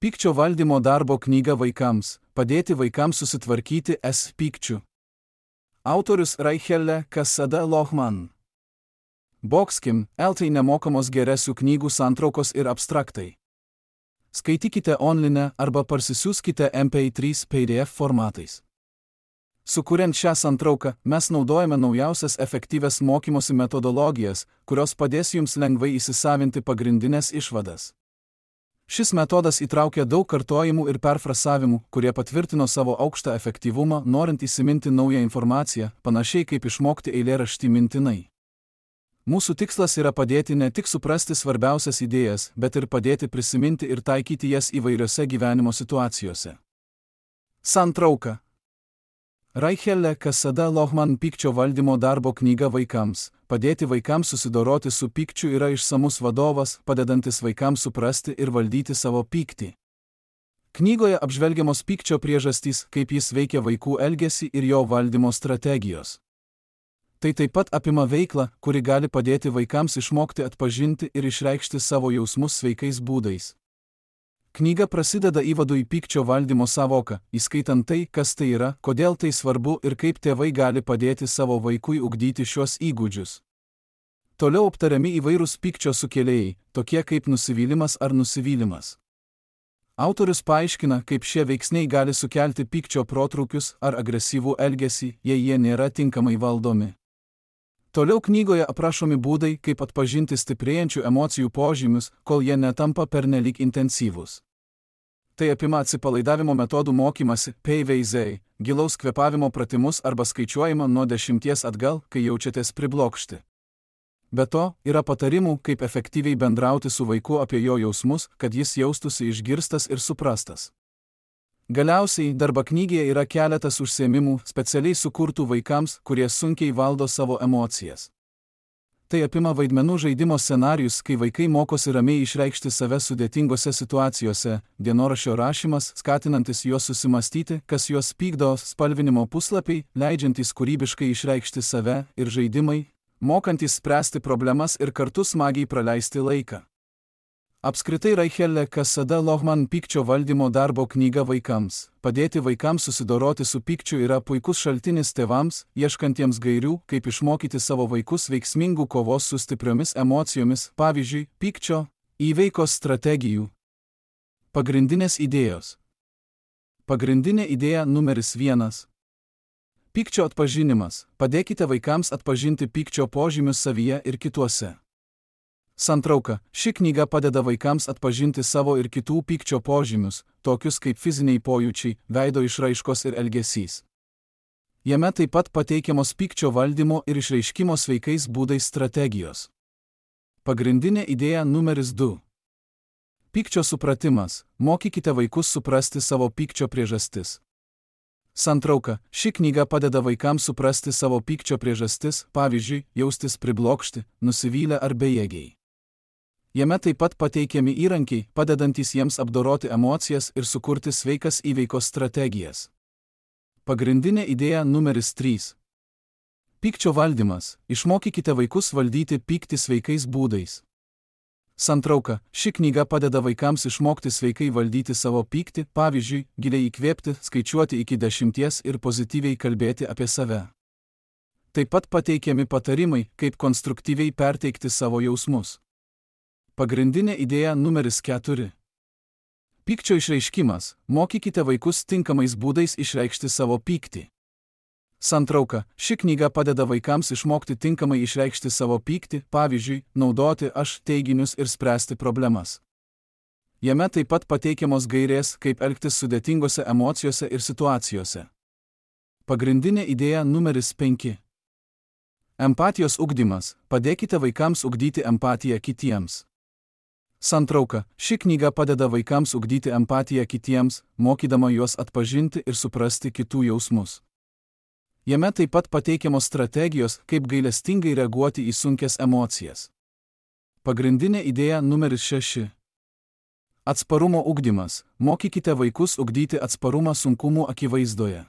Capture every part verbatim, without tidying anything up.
Pykčio valdymo darbo knyga vaikams – padėti vaikams susitvarkyti S pykčiu. Autorius Raichelle Cassada Lohman. Boxkim, eltai nemokamos geresių knygų santraukos ir abstraktai. Skaitykite online arba parsisiųskite M P trys P D F formatais. Sukuriant šią santrauką, mes naudojame naujausias efektyvias mokymosi metodologijas, kurios padės jums lengvai įsisavinti pagrindinės išvadas. Šis metodas įtraukia daug kartojimų ir perfrasavimų, kurie patvirtino savo aukštą efektyvumą, norint įsiminti naują informaciją, panašiai kaip išmokti eilėraštį mintinai. Mūsų tikslas yra padėti ne tik suprasti svarbiausias idėjas, bet ir padėti prisiminti ir taikyti jas įvairiose gyvenimo situacijose. Santrauka. Raichelle Cassada Lohman pykčio valdymo darbo knyga vaikams – padėti vaikams susidoroti su pykčiu yra išsamus vadovas, padedantis vaikams suprasti ir valdyti savo pyktį. Knygoje apžvelgiamos pykčio priežastys, kaip jis veikia vaikų elgesį ir jo valdymo strategijos. Tai taip pat apima veiklą, kuri gali padėti vaikams išmokti atpažinti ir išreikšti savo jausmus sveikais būdais. Knyga prasideda įvadu į pykčio valdymo sąvoką, įskaitant tai, kas tai yra, kodėl tai svarbu ir kaip tėvai gali padėti savo vaikui ugdyti šios įgūdžius. Toliau aptariami įvairūs pykčio sukėlėjai, tokie kaip nusivylimas ar nusivylimas. Autorius paaiškina, kaip šie veiksniai gali sukelti pykčio protrūkius ar agresyvų elgesį, jei jie nėra tinkamai valdomi. Toliau knygoje aprašomi būdai, kaip atpažinti stiprėjančių emocijų požymius, kol jie netampa pernelyg intensyvūs. Tai apima atsipalaidavimo metodų mokymasi, P V Z, gilaus kvėpavimo pratimus arba skaičiuojimą nuo dešimties atgal, kai jaučiatės priblokšti. Be to, yra patarimų, kaip efektyviai bendrauti su vaiku apie jo jausmus, kad jis jaustųsi išgirstas ir suprastas. Galiausiai, darbo knygoje yra keletas užsiėmimų, specialiai sukurtų vaikams, kurie sunkiai valdo savo emocijas. Tai apima vaidmenų žaidimo scenarijus, kai vaikai mokosi ramiai išreikšti save sudėtingose situacijose, dienoraščio rašymas, skatinantis juos susimastyti, kas juos pykdo, spalvinimo puslapiai, leidžiantys kūrybiškai išreikšti save, ir žaidimai, mokantys spręsti problemas ir kartu smagiai praleisti laiką. Apskritai Raichelle Cassada Lohman pykčio valdymo darbo knyga vaikams – padėti vaikams susidoroti su pykčiu yra puikus šaltinis tėvams, ieškantiems gairių, kaip išmokyti savo vaikus veiksmingų kovos su stipriomis emocijomis, pavyzdžiui, pykčio įveikos strategijų. Pagrindinės idėjos. Pagrindinė idėja numeris vienas. Pykčio atpažinimas – padėkite vaikams atpažinti pykčio požymius savyje ir kituose. Santrauka. Ši knyga padeda vaikams atpažinti savo ir kitų pykčio požymius, tokius kaip fiziniai pojūčiai, veido išraiškos ir elgesys. Jame taip pat pateikiamos pykčio valdymo ir išreiškimo sveikais būdais strategijos. Pagrindinė idėja numeris du. Pykčio supratimas. Mokykite vaikus suprasti savo pykčio priežastis. Santrauka. Ši knyga padeda vaikams suprasti savo pykčio priežastis, pavyzdžiui, jaustis priblokšti, nusivylę ar bejėgiai. Jame taip pat pateikiami įrankiai, padedantys jiems apdoroti emocijas ir sukurti sveikas įveikos strategijas. Pagrindinė idėja numeris trys. Pykčio valdymas. Išmokykite vaikus valdyti pyktį sveikais būdais. Santrauka. Ši knyga padeda vaikams išmokti sveikai valdyti savo pyktį, pavyzdžiui, giliai įkvėpti, skaičiuoti iki dešimties ir pozityviai kalbėti apie save. Taip pat pateikiami patarimai, kaip konstruktyviai perteikti savo jausmus. Pagrindinė idėja numeris keturi. Pykčio išreiškimas. Mokykite vaikus tinkamais būdais išreikšti savo pyktį. Santrauka. Ši knyga padeda vaikams išmokti tinkamai išreikšti savo pyktį, pavyzdžiui, naudoti aš teiginius ir spręsti problemas. Jame taip pat pateikiamos gairės, kaip elgtis sudėtingose emocijose ir situacijose. Pagrindinė idėja numeris penki. Empatijos ugdymas. Padėkite vaikams ugdyti empatiją kitiems. Santrauka. Ši knyga padeda vaikams ugdyti empatiją kitiems, mokydama juos atpažinti ir suprasti kitų jausmus. Jame taip pat pateikiamos strategijos, kaip gailestingai reaguoti į sunkias emocijas. Pagrindinė idėja numeris šeši. Atsparumo ugdymas. Mokykite vaikus ugdyti atsparumą sunkumų akivaizdoje.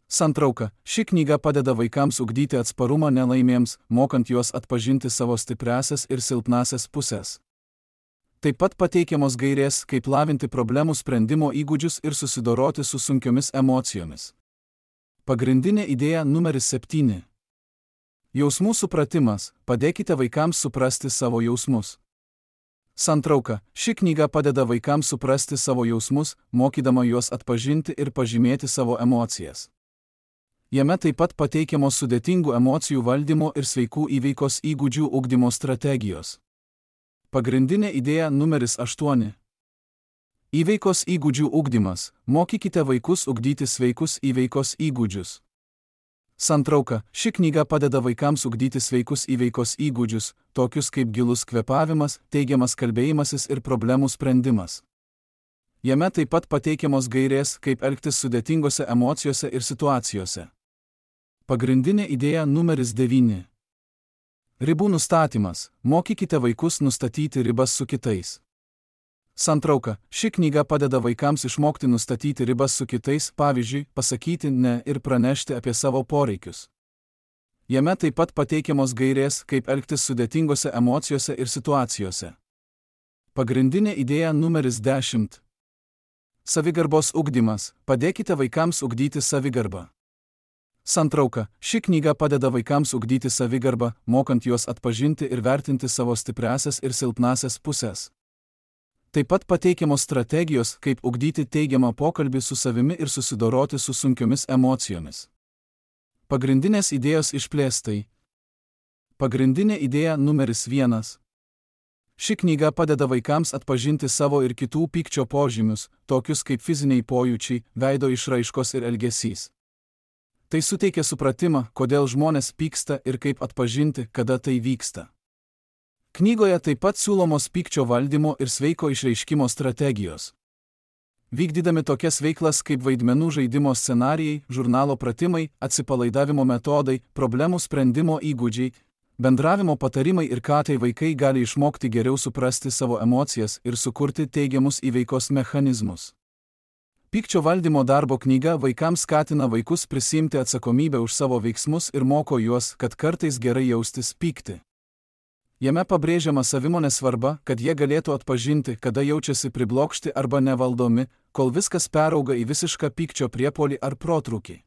Santrauka. Ši knyga padeda vaikams ugdyti atsparumą nelaimėms, mokant juos atpažinti savo stipriąsias ir silpnąsias pusės. Taip pat pateikiamos gairės, kaip lavinti problemų sprendimo įgūdžius ir susidoroti su sunkiomis emocijomis. Pagrindinė idėja numeris septyni. Jausmų supratimas. Padėkite vaikams suprasti savo jausmus. Santrauka. Ši knyga padeda vaikams suprasti savo jausmus, mokydama juos atpažinti ir pažymėti savo emocijas. Jame taip pat pateikiamos sudėtingų emocijų valdymo ir sveikų įveikos įgūdžių ugdymo strategijos. Pagrindinė idėja numeris aštuoni. Įveikos įgūdžių ugdymas. Mokykite vaikus ugdyti sveikus įveikos įgūdžius. Santrauka. Ši knyga padeda vaikams ugdyti sveikus įveikos įgūdžius, tokius kaip gilus kvėpavimas, teigiamas kalbėjimasis ir problemų sprendimas. Jame taip pat pateikiamos gairės, kaip elgtis sudėtingose emocijose ir situacijose. Pagrindinė idėja numeris devyni. Ribų nustatymas. Mokykite vaikus nustatyti ribas su kitais. Santrauka. Ši knyga padeda vaikams išmokti nustatyti ribas su kitais, pavyzdžiui, pasakyti ne ir pranešti apie savo poreikius. Jame taip pat pateikiamos gairės, kaip elgtis sudėtingose emocijose ir situacijose. Pagrindinė idėja numeris dešimt. Savigarbos ugdymas. Padėkite vaikams ugdyti savigarbą. Santrauka. Ši knyga padeda vaikams ugdyti savigarbą, mokant juos atpažinti ir vertinti savo stipriąsias ir silpnąsias pusės. Taip pat pateikiamos strategijos, kaip ugdyti teigiamą pokalbį su savimi ir susidoroti su sunkiomis emocijomis. Pagrindinės idėjos išplėstai. Pagrindinė idėja numeris vienas. Ši knyga padeda vaikams atpažinti savo ir kitų pykčio požymius, tokius kaip fiziniai pojūčiai, veido išraiškos ir elgesys. Tai suteikia supratimą, kodėl žmonės pyksta ir kaip atpažinti, kada tai vyksta. Knygoje taip pat siūlomos pykčio valdymo ir sveiko išreiškimo strategijos. Vykdydami tokias veiklas kaip vaidmenų žaidimo scenarijai, žurnalo pratimai, atsipalaidavimo metodai, problemų sprendimo įgūdžiai, bendravimo patarimai ir ką tai vaikai gali išmokti geriau suprasti savo emocijas ir sukurti teigiamus įveikos mechanizmus. Pykčio valdymo darbo knyga vaikams skatina vaikus prisiimti atsakomybę už savo veiksmus ir moko juos, kad kartais gerai jaustis pykti. Jame pabrėžiama savimonės svarba, kad jie galėtų atpažinti, kada jaučiasi priblokšti arba nevaldomi, kol viskas perauga į visišką pykčio priepuolį ar protrūkį.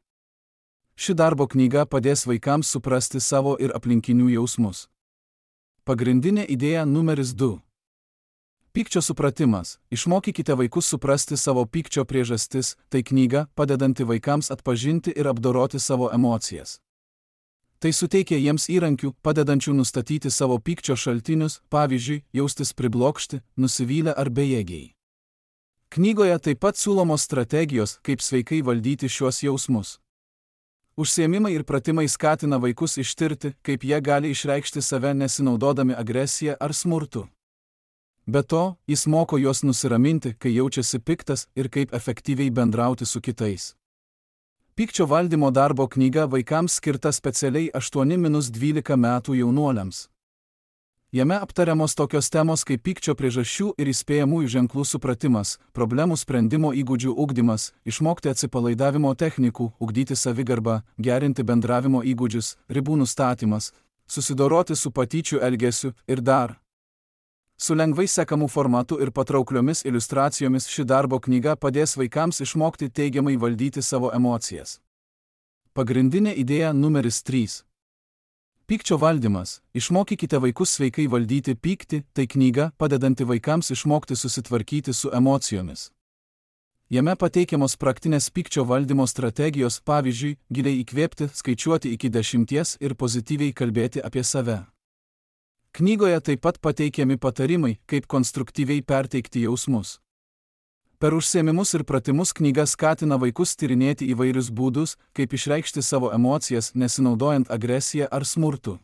Ši darbo knyga padės vaikams suprasti savo ir aplinkinių jausmus. Pagrindinė idėja numeris du. Pykčio supratimas. Išmokykite vaikus suprasti savo pykčio priežastis, tai knyga, padedanti vaikams atpažinti ir apdoroti savo emocijas. Tai suteikia jiems įrankių, padedančių nustatyti savo pykčio šaltinius, pavyzdžiui, jaustis priblokšti, nusivylę ar bejėgiai. Knygoje taip pat siūlomos strategijos, kaip sveikai valdyti šiuos jausmus. Užsiėmimai ir pratimai skatina vaikus ištirti, kaip jie gali išreikšti save nesinaudodami agresiją ar smurtu. Be to, jis moko juos nusiraminti, kai jaučiasi piktas ir kaip efektyviai bendrauti su kitais. Pykčio valdymo darbo knyga vaikams skirta specialiai aštuoni dvylika metų jaunuoliams. Jame aptariamos tokios temos kaip pykčio priežasčių ir įspėjamųjų ženklų supratimas, problemų sprendimo įgūdžių ugdymas, išmokti atsipalaidavimo technikų, ugdyti savigarbą, gerinti bendravimo įgūdžius, ribų nustatymas, susidoroti su patyčių elgesiu ir dar. Su lengvai sekamu formatu ir patraukliomis iliustracijomis ši darbo knyga padės vaikams išmokti teigiamai valdyti savo emocijas. Pagrindinė idėja numeris trys. Pykčio valdymas. Išmokykite vaikus sveikai valdyti pyktį, tai knyga, padedanti vaikams išmokti susitvarkyti su emocijomis. Jame pateikiamos praktinės pykčio valdymo strategijos, pavyzdžiui, giliai įkvėpti, skaičiuoti iki dešimties ir pozityviai kalbėti apie save. Knygoje taip pat pateikiami patarimai, kaip konstruktyviai perteikti jausmus. Per užsiėmimus ir pratimus knyga skatina vaikus tyrinėti įvairius būdus, kaip išreikšti savo emocijas, nesinaudojant agresiją ar smurtu.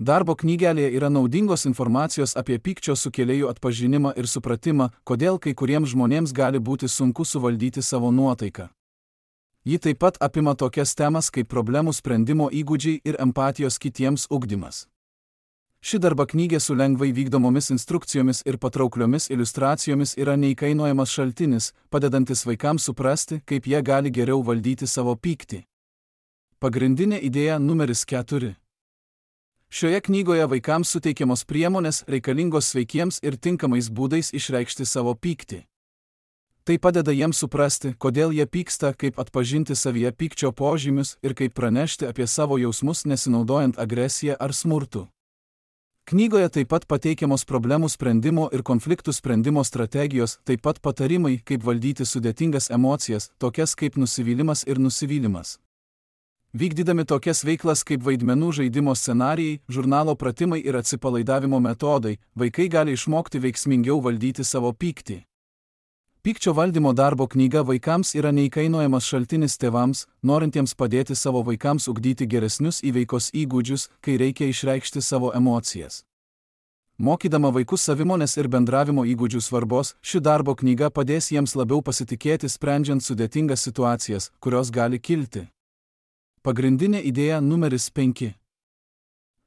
Darbo knygelėje yra naudingos informacijos apie pykčio sukėlėjų atpažinimą ir supratimą, kodėl kai kuriems žmonėms gali būti sunku suvaldyti savo nuotaiką. Ji taip pat apima tokias temas kaip problemų sprendimo įgūdžiai ir empatijos kitiems ugdymas. Ši darba knygė su lengvai vykdomomis instrukcijomis ir patraukliomis iliustracijomis yra neįkainojamas šaltinis, padedantis vaikams suprasti, kaip jie gali geriau valdyti savo pyktį. Pagrindinė idėja numeris keturi. Šioje knygoje vaikams suteikiamos priemonės reikalingos sveikiems ir tinkamais būdais išreikšti savo pyktį. Tai padeda jiems suprasti, kodėl jie pyksta, kaip atpažinti savyje pykčio požymius ir kaip pranešti apie savo jausmus nesinaudojant agresiją ar smurtu. Knygoje taip pat pateikiamos problemų sprendimo ir konfliktų sprendimo strategijos, taip pat patarimai, kaip valdyti sudėtingas emocijas, tokias kaip nusivylimas ir nusivylimas. Vykdydami tokias veiklas kaip vaidmenų žaidimo scenarijai, žurnalo pratimai ir atsipalaidavimo metodai, vaikai gali išmokti veiksmingiau valdyti savo pyktį. Pykčio valdymo darbo knyga vaikams yra neįkainojamas šaltinis tėvams, norintiems padėti savo vaikams ugdyti geresnius įveikos įgūdžius, kai reikia išreikšti savo emocijas. Mokydama vaikus savimonės ir bendravimo įgūdžių svarbos, ši darbo knyga padės jiems labiau pasitikėti sprendžiant sudėtingas situacijas, kurios gali kilti. Pagrindinė idėja numeris penki.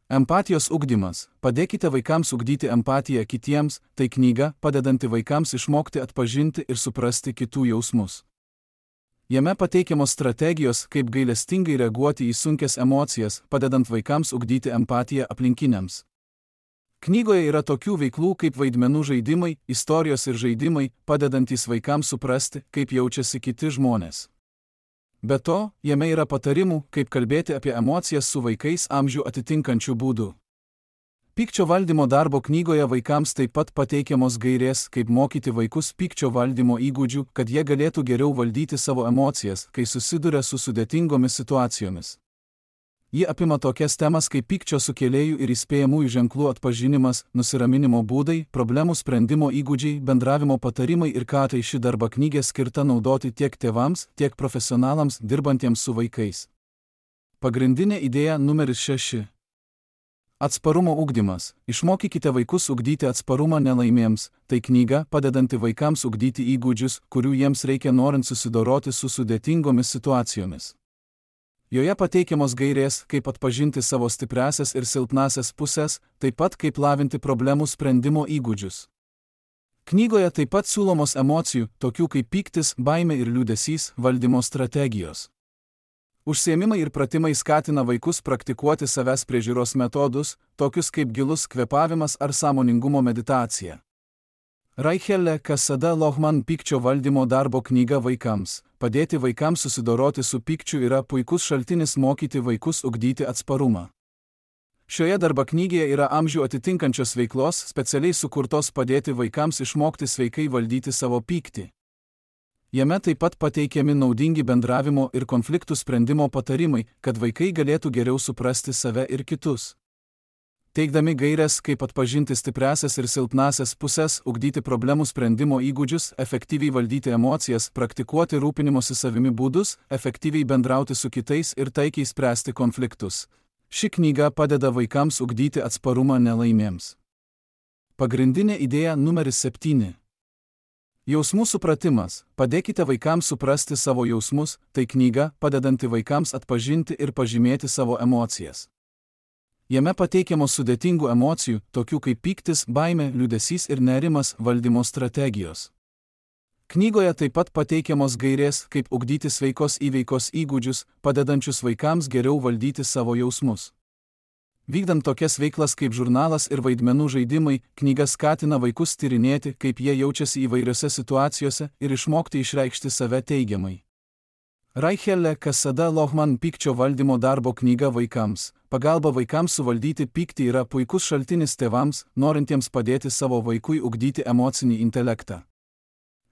Empatijos ugdymas. Padėkite vaikams ugdyti empatiją kitiems, tai knyga, padedanti vaikams išmokti atpažinti ir suprasti kitų jausmus. Jame pateikiamos strategijos, kaip gailestingai reaguoti į sunkias emocijas, padedant vaikams ugdyti empatiją aplinkiniams. Knygoje yra tokių veiklų kaip vaidmenų žaidimai, istorijos ir žaidimai, padedantys vaikams suprasti, kaip jaučiasi kiti žmonės. Be to, jame yra patarimų, kaip kalbėti apie emocijas su vaikais amžių atitinkančių būdų. Pykčio valdymo darbo knygoje vaikams taip pat pateikiamos gairės, kaip mokyti vaikus pykčio valdymo įgūdžių, kad jie galėtų geriau valdyti savo emocijas, kai susiduria su sudėtingomis situacijomis. Ji apima tokias temas kaip pykčio sukėlėjų ir įspėjamųjų ženklų atpažinimas, nusiraminimo būdai, problemų sprendimo įgūdžiai, bendravimo patarimai ir ką tai ši darbo knyga skirta naudoti tiek tėvams, tiek profesionalams dirbantiems su vaikais. Pagrindinė idėja numeris šeši. Atsparumo ugdymas. Išmokykite vaikus ugdyti atsparumą nelaimėms. Tai knyga, padedanti vaikams ugdyti įgūdžius, kurių jiems reikia norint susidoroti su sudėtingomis situacijomis. Joje pateikiamos gairės, kaip atpažinti savo stipriąsias ir silpnąsias pusės, taip pat kaip lavinti problemų sprendimo įgūdžius. Knygoje taip pat siūlomos emocijų, tokių kaip pyktis, baimė ir liūdesys, valdymo strategijos. Užsiėmimai ir pratimai skatina vaikus praktikuoti savęs priežiūros metodus, tokius kaip gilus kvėpavimas ar sąmoningumo meditacija. Raichelle Casada Lohman pykčio valdymo darbo knyga vaikams. Padėti vaikams susidoroti su pykčiu yra puikus šaltinis mokyti vaikus ugdyti atsparumą. Šioje darbo knygoje yra amžių atitinkančios veiklos, specialiai sukurtos padėti vaikams išmokti sveikai valdyti savo pyktį. Jame taip pat pateikiami naudingi bendravimo ir konfliktų sprendimo patarimai, kad vaikai galėtų geriau suprasti save ir kitus. Teikdami gaires, kaip atpažinti stipriąsias ir silpnąsias pusės, ugdyti problemų sprendimo įgūdžius, efektyviai valdyti emocijas, praktikuoti rūpinimosi savimi būdus, efektyviai bendrauti su kitais ir taikiai spręsti konfliktus. Ši knyga padeda vaikams ugdyti atsparumą nelaimėms. Pagrindinė idėja numeris septyni. Jausmų supratimas. Padėkite vaikams suprasti savo jausmus, tai knyga, padedanti vaikams atpažinti ir pažymėti savo emocijas. Jame pateikiamos sudėtingų emocijų, tokių kaip pyktis, baimė, liūdesys ir nerimas, valdymo strategijos. Knygoje taip pat pateikiamos gairės, kaip ugdyti sveikos įveikos įgūdžius, padedančius vaikams geriau valdyti savo jausmus. Vykdant tokias veiklas kaip žurnalas ir vaidmenų žaidimai, knyga skatina vaikus tyrinėti, kaip jie jaučiasi įvairiose situacijose ir išmokti išreikšti save teigiamai. Raichelle Casada Lohman pykčio valdymo darbo knyga vaikams. Pagalba vaikams suvaldyti pyktį yra puikus šaltinis tėvams, norintiems padėti savo vaikui ugdyti emocinį intelektą.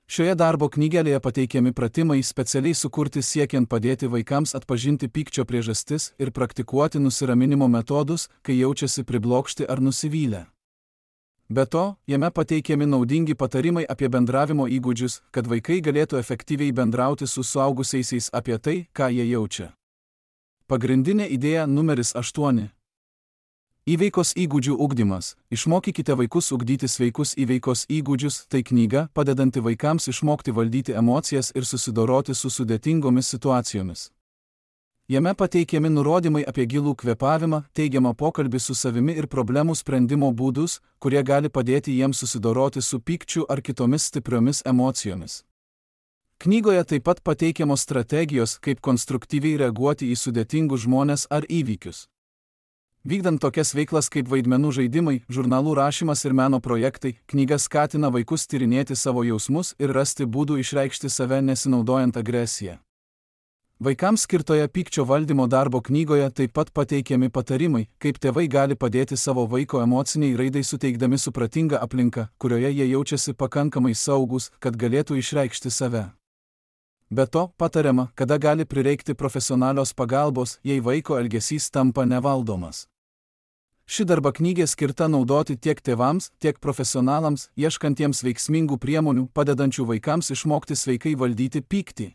Šioje darbo knygelėje pateikiami pratimai specialiai sukurti siekiant padėti vaikams atpažinti pykčio priežastis ir praktikuoti nusiraminimo metodus, kai jaučiasi priblokšti ar nusivylę. Be to, jame pateikiami naudingi patarimai apie bendravimo įgūdžius, kad vaikai galėtų efektyviai bendrauti su suaugusiaisiais apie tai, ką jie jaučia. Pagrindinė idėja numeris aštuoni. Įveikos įgūdžių ugdymas. Išmokykite vaikus ugdyti sveikus įveikos įgūdžius, tai knyga, padedanti vaikams išmokti valdyti emocijas ir susidoroti su sudėtingomis situacijomis. Jame pateikiami nurodymai apie gilų kvėpavimą, teigiamą pokalbį su savimi ir problemų sprendimo būdus, kurie gali padėti jiems susidoroti su pykčiu ar kitomis stipriomis emocijomis. Knygoje taip pat pateikiamos strategijos, kaip konstruktyviai reaguoti į sudėtingus žmones ar įvykius. Vykdant tokias veiklas kaip vaidmenų žaidimai, žurnalų rašymas ir meno projektai, knyga skatina vaikus tyrinėti savo jausmus ir rasti būdų išreikšti save nesinaudojant agresiją. Vaikams skirtoje pykčio valdymo darbo knygoje taip pat pateikiami patarimai, kaip tėvai gali padėti savo vaiko emociniai raidai suteikdami supratingą aplinką, kurioje jie jaučiasi pakankamai saugus, kad galėtų išreikšti save. Be to, patariama, kada gali prireikti profesionalios pagalbos, jei vaiko elgesys tampa nevaldomas. Ši darba knygė skirta naudoti tiek tėvams, tiek profesionalams, ieškantiems veiksmingų priemonių, padedančių vaikams išmokti sveikai valdyti pyktį.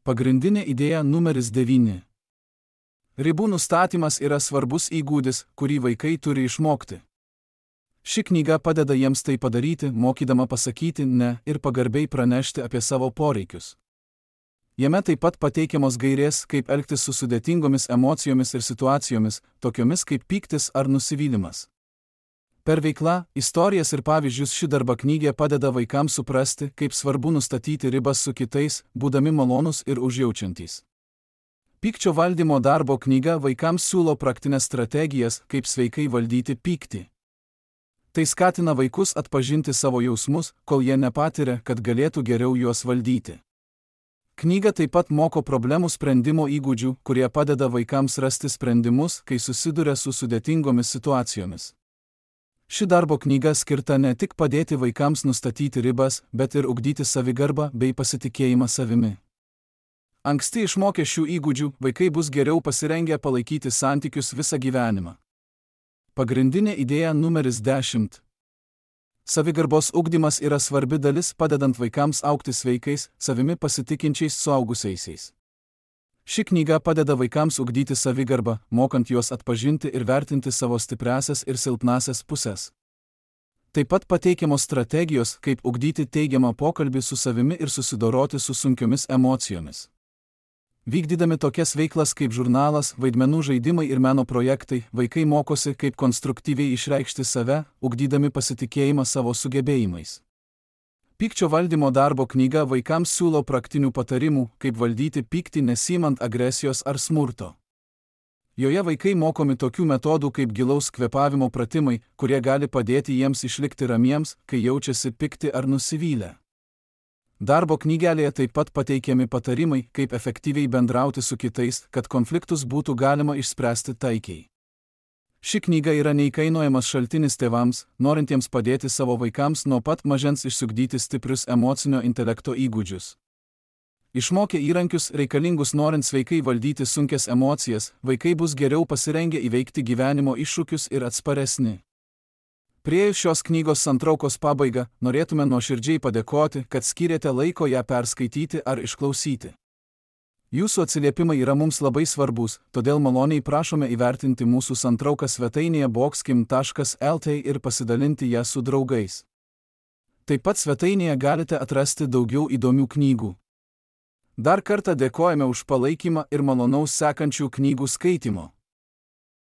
Pagrindinė idėja numeris devyni. Ribų nustatymas yra svarbus įgūdis, kurį vaikai turi išmokti. Ši knyga padeda jiems tai padaryti, mokydama pasakyti ne ir pagarbiai pranešti apie savo poreikius. Jame taip pat pateikiamos gairės, kaip elgtis su sudėtingomis emocijomis ir situacijomis, tokiomis kaip pyktis ar nusivylimas. Per veiklą, istorijas ir pavyzdžius ši darba knygė padeda vaikams suprasti, kaip svarbu nustatyti ribas su kitais, būdami malonūs ir užjaučiantys. Pykčio valdymo darbo knyga vaikams siūlo praktines strategijas, kaip sveikai valdyti pyktį. Tai skatina vaikus atpažinti savo jausmus, kol jie nepatiria, kad galėtų geriau juos valdyti. Knyga taip pat moko problemų sprendimo įgūdžių, kurie padeda vaikams rasti sprendimus, kai susiduria su sudėtingomis situacijomis. Ši darbo knyga skirta ne tik padėti vaikams nustatyti ribas, bet ir ugdyti savigarbą bei pasitikėjimą savimi. Anksti išmokę šių įgūdžių, vaikai bus geriau pasirengę palaikyti santykius visą gyvenimą. Pagrindinė idėja numeris dešimt. Savigarbos ugdymas yra svarbi dalis padedant vaikams augti sveikais, savimi pasitikinčiais suaugusiaisiais. Ši knyga padeda vaikams ugdyti savigarbą, mokant juos atpažinti ir vertinti savo stipriąsias ir silpnąsias pusės. Taip pat pateikiamos strategijos, kaip ugdyti teigiamą pokalbį su savimi ir susidoroti su sunkiomis emocijomis. Vykdydami tokias veiklas kaip žurnalas, vaidmenų žaidimai ir meno projektai, vaikai mokosi, kaip konstruktyviai išreikšti save, ugdydami pasitikėjimą savo sugebėjimais. Pykčio valdymo darbo knyga vaikams siūlo praktinių patarimų, kaip valdyti pyktį nesiimant agresijos ar smurto. Joje vaikai mokomi tokių metodų kaip gilaus kvėpavimo pratimai, kurie gali padėti jiems išlikti ramiems, kai jaučiasi pikti ar nusivylę. Darbo knygelėje taip pat pateikiami patarimai, kaip efektyviai bendrauti su kitais, kad konfliktus būtų galima išspręsti taikiai. Ši knyga yra neįkainojamas šaltinis tėvams, norintiems padėti savo vaikams nuo pat mažens išsiugdyti stiprius emocinio intelekto įgūdžius. Išmokę įrankius reikalingus norint sveikai valdyti sunkias emocijas, vaikai bus geriau pasirengę įveikti gyvenimo iššūkius ir atsparesni. Priėjus šios knygos santraukos pabaigą, norėtume nuoširdžiai padėkoti, kad skyrėte laiko ją perskaityti ar išklausyti. Jūsų atsiliepimai yra mums labai svarbus, todėl maloniai prašome įvertinti mūsų santrauką svetainėje boxkim taškas lt ir pasidalinti ją su draugais. Taip pat svetainėje galite atrasti daugiau įdomių knygų. Dar kartą dėkojame už palaikymą ir malonaus sekančių knygų skaitimo.